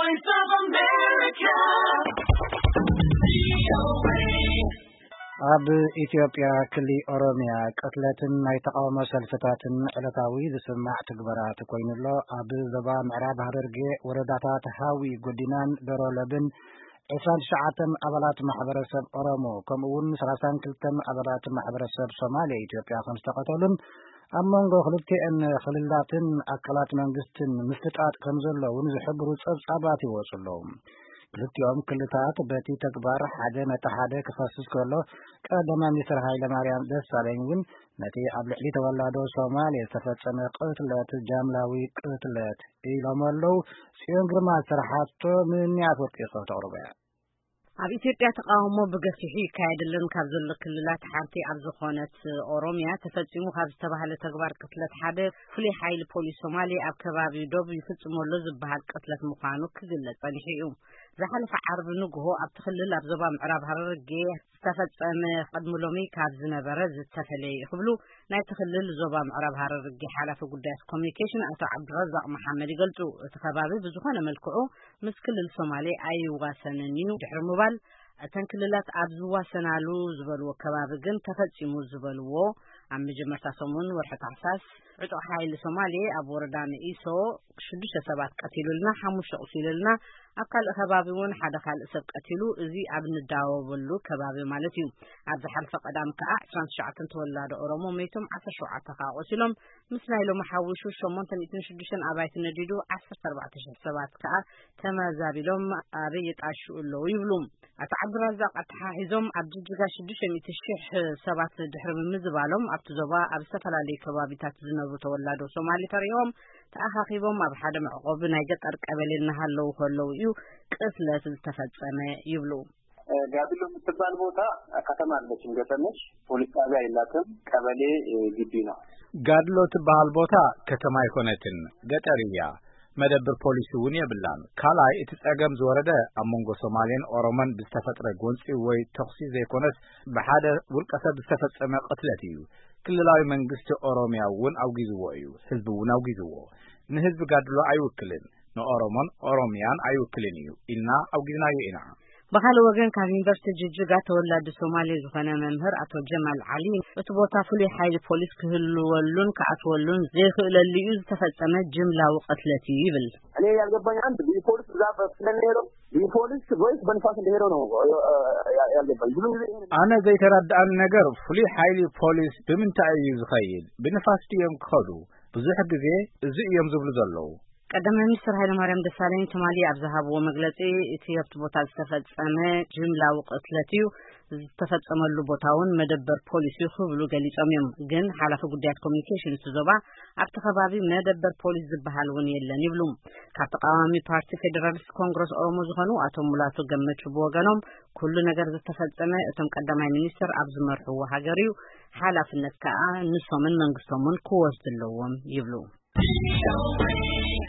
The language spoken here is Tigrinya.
Voice of America. ኣብ ኢትዮጵያ ክሊ ኦሮሚያ ቅትለትን ናይ ተቓውሞ ሰልፍታትን ዕለታዊ ዝስማዕ ትግበራት ኮይኑ ኣሎ። ኣብ ዞባ ምዕራብ ሃረርጌ ወረዳታት ሃዊ፣ ጎዲናን ዶሮለብን ዕስራን ትሽዓተን ኣባላት ማሕበረሰብ ኦሮሞ ከምኡ እውን ሰላሳን ክልተን ኣባላት ማሕበረሰብ ሶማሌ ኢትዮጵያ ከም ዝተቐተሉን ኣብ መንጎ ክልቲኤን ክልላትን ኣካላት መንግስትን ምፍጥጣጥ ከም ዘለውን ዝሕብሩ ጸብጻባት ይወጹ ኣለዉ። ክልቲኦም ክልታት በቲ ተግባር ሓደ ነቲ ሓደ ክኸስስ ከሎ፣ ቀዳማይ ሚኒስትር ሃይለ ማርያም ደሳለኝ እውን ነቲ ኣብ ልዕሊ ተወላዶ ሶማሌ ዝተፈጸመ ቅትለት ጃምላዊ ቅትለት ኢሎም ኣለዉ። ጽዮን ግርማ ዝሰርሓቶ ምንያት ወርቂ ተቕርቦ እያ። ኣብ ኢትዮጵያ ተቃውሞ ብገፊሑ ይካየደለን ካብ ዘሎ ክልላት ሓንቲ ኣብ ዝኾነት ኦሮሚያ ተፈጺሙ ካብ ዝተባህለ ተግባር ቅትለት ሓደ ፍሉይ ሓይሊ ፖሊስ ሶማሌ ኣብ ከባቢ ዶብ ይፍጽሞ ኣሎ ዝበሃል ቅትለት ምዃኑ ክግለጽ ጸኒሑ እዩ። ዝሓለፈ ዓርቢ ንግሆ ኣብቲ ክልል ኣብ ዞባ ምዕራብ ሃረርጌ ዝተፈጸመ ቅድሚ ሎሚ ካብ ዝነበረ ዝተፈለየ እዩ ክብሉ ናይቲ ክልል ዞባ ምዕራብ ሃረርጌ ሓላፊ ጉዳያት ኮሚኒኬሽን ኣቶ ዓብዱረዛቅ መሓመድ ይገልጹ። እቲ ከባቢ ብዝኾነ መልክዑ ምስ ክልል ሶማሌ ኣይዋሰንን እዩ ድሕሪ ምባል፣ እተን ክልላት ኣብ ዝዋሰናሉ ዝበልዎ ከባቢ ግን ተፈጺሙ ዝበልዎ፣ ኣብ መጀመርታ ሰሙን ወርሒ ታሕሳስ ዕጡቕ ሓይሊ ሶማሌ ኣብ ወረዳ መኢሶ ሽዱሽተ ሰባት ቀቲሉልና፣ ሓሙሽተ ኣቑሲሉልና፣ ኣብ ካልእ ከባቢ እውን ሓደ ካልእ ሰብ ቀቲሉ፣ እዚ ኣብ ንዳወበሉ ከባቢ ማለት እዩ። ኣብ ዝሓለፈ ቀዳም ከኣ ዕስራን ትሽዓተን ተወላዶ ኦሮሞ መይቶም፣ ዓሰርተ ሸውዓተ ከኣ ቆሲሎም፣ ምስ ናይ ሎሚ ሓዊሱ ሸሞንተ ሚእትን ሽዱሽተን ኣባይቲ ነዲዱ፣ ዓሰርተ ኣርባዕተ ሽሕ ሰባት ከኣ ተመዛቢሎም ኣበይ ይጣሽኡ ኣለዉ ይብሉ። ኣቶ ዓብዱራዛቅ ኣተሓሒዞም፣ ኣብ ጅጅጋ ሽዱሽተ ሚእቲ ሽሕ ሰባት ድሕሪ ምምዝባሎም፣ ኣብቲ ዞባ ኣብ ዝተፈላለዩ ከባቢታት ዝነብሩ ተወላዶ ሶማሊ ፈሪሆም ተኣኻኺቦም ኣብ ሓደ መዕቆቢ ናይ ገጠር ቀበሌ እናሃለዉ ከለዉ እዩ ቅትለት ዝተፈጸመ ይብሉ። ጋድሎ የምትባል ቦታ ከተማ አለችም፣ ገጠር ነች። ፖሊስ ጣቢያ የላትም። ቀበሌ ግቢ ነው። ጋድሎ ትበሃል ቦታ ከተማ ኣይኮነትን፣ ገጠር እያ። መደብር ፖሊስ እውን የብላን። ካልኣይ፣ እቲ ጸገም ዝወረደ ኣብ መንጎ ሶማሌን ኦሮሞን ብዝተፈጥረ ጎንጺ ወይ ተኹሲ ዘይኮነስ፣ ብሓደ ውልቀ ሰብ ዝተፈጸመ ቅትለት እዩ። ክልላዊ መንግስቲ ኦሮሚያ እውን ኣውጊዝዎ እዩ። ህዝቢ እውን ኣውጊዝዎ። ንህዝቢ ጋድሎ ኣይውክልን፣ ንኦሮሞን ኦሮሚያን ኣይውክልን እዩ ኢልና ኣውጊዝናዮ ኢና። ብኻልእ ወገን፣ ካብ ዩኒቨርሲቲ ጅጅጋ ተወላዲ ሶማሌ ዝኾነ መምህር ኣቶ ጀማል ዓሊ፣ እቲ ቦታ ፍሉይ ሓይሊ ፖሊስ ክህልወሉን ክኣትወሉን ዘይኽእለሉ እዩ ዝተፈጸመ ጅምላዊ ቅትለት እዩ ይብል። እኔ ያልገባኝ አንድ፣ ይህ ፖሊስ ብዛት ስለሚሄደው፣ ይህ ፖሊስ ወይስ በንፋስ እንደሄደው ነው ያልገባኝ። ብዙ ጊዜ ይሄን አነ ዘይተረድኣኒ ነገር፣ ፍሉይ ሓይሊ ፖሊስ ብምንታይ እዩ ዝኸይድ? ብንፋስ ድዮም ክኸዱ? ብዙሕ ግዜ እዚ እዮም ዝብሉ ዘለዉ። ቀዳማይ ሚኒስትር ሃይለማርያም ደሳለኝ ትማሊ ኣብ ዝሃብዎ መግለጺ፣ እቲ ኣብቲ ቦታ ዝተፈጸመ ጅምላዊ ቅትለት እዩ፣ ዝተፈጸመሉ ቦታ እውን መደበር ፖሊስ እዩ ክብሉ ገሊጾም እዮም። ግን ሓላፊ ጉዳያት ኮሚኒኬሽን እቲ ዞባ፣ ኣብቲ ከባቢ መደበር ፖሊስ ዝበሃል እውን የለን ይብሉ። ካብ ተቃዋሚ ፓርቲ ፌዴራሊስት ኮንግረስ ኦሮሞ ዝኾኑ ኣቶ ሙላቱ ገመቹ ብወገኖም፣ ኩሉ ነገር ዝተፈጸመ እቶም ቀዳማይ ሚኒስትር ኣብ ዝመርሕዎ ሃገር እዩ፣ ሓላፍነት ከኣ ንሶምን መንግስቶምን ክወስዱ ኣለዎም ይብሉ።